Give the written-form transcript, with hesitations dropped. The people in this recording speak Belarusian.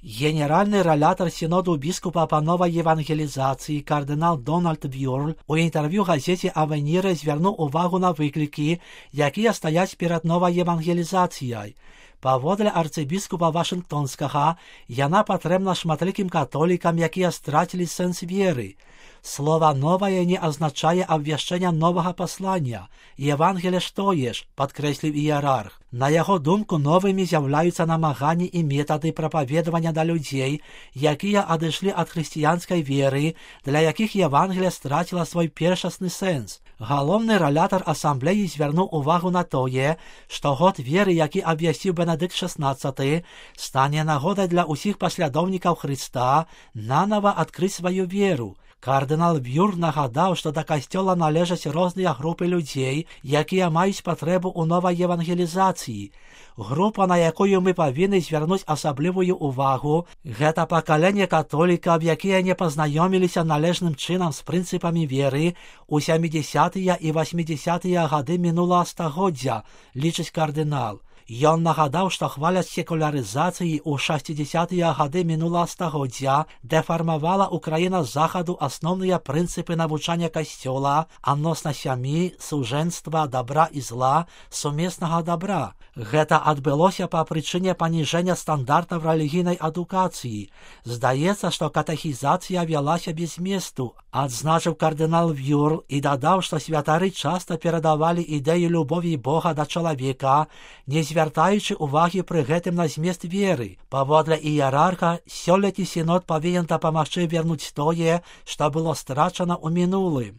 Генеральний релятор Синоду біскупа по новій євангелізації кардинал Дональд Бюрль у інтерв'ю газеті «Авеніри» звернув увагу на виклики, які стоять перед новою євангелізацією. Паводле арцыбіскупа Вашингтонскага, яна патрэбна шматлікім католікам, якія страцілі сэнс веры. Слово «новое» не означає обвяшчення нового послання. Євангеліє што єш, падкрэсліў іерарх. На яго думку, новымі з'яўляюцца намаганні і метады прапаведавання да людзей, якія адышлі ад хрысціянскай веры, для якіх Євангеліе страціла свой першасны сэнс. Галоўны релятар асамблеі звярнуў увагу на тое, што год веры, які абвясціў Бенедыкт XVI, стане нагодай для ўсіх паслядоўнікаў Хрыста нанова адкрыць сваю веру. Кардынал Бюрль нагадаў, што да касцёла належаць розныя групы людзей, якія маюць патрэбу ў новай евангелізацыі. Група, на якую мы павінны звярнуць асаблівую ўвагу, гэта пакаленне католікаў, якія не пазнаёміліся належным чынам з прынцыпамі веры ў 70-тыя і 80-тыя гады мінулага стагоддзя, лічыць кардынал. Ён нагадаў, што хваляць секулярызацыі ў 60-тыя гады мінулага стагоддзя дэфармавала ў краінах захаду асноўныя прынцыпы навучання касцёла адносна сям'і, сужэнства, дабра і зла, сумеснага дабра. Гэта адбылося па прычыне паніжэння стандартаў рэлігійнай адукацыі. Здаецца, што катэхізацыя вялася без зместу, адзначыў кардынал Бюрль і дадаў, што святары часта перадавалі ідэю любові Бога да чалавека, не звяртаючы ўвагі пры гэтым на змест веры. Паводле іерарха, сёлетні сінод павінен дапамагчы вернуць тое, што было страчана ў мінулым.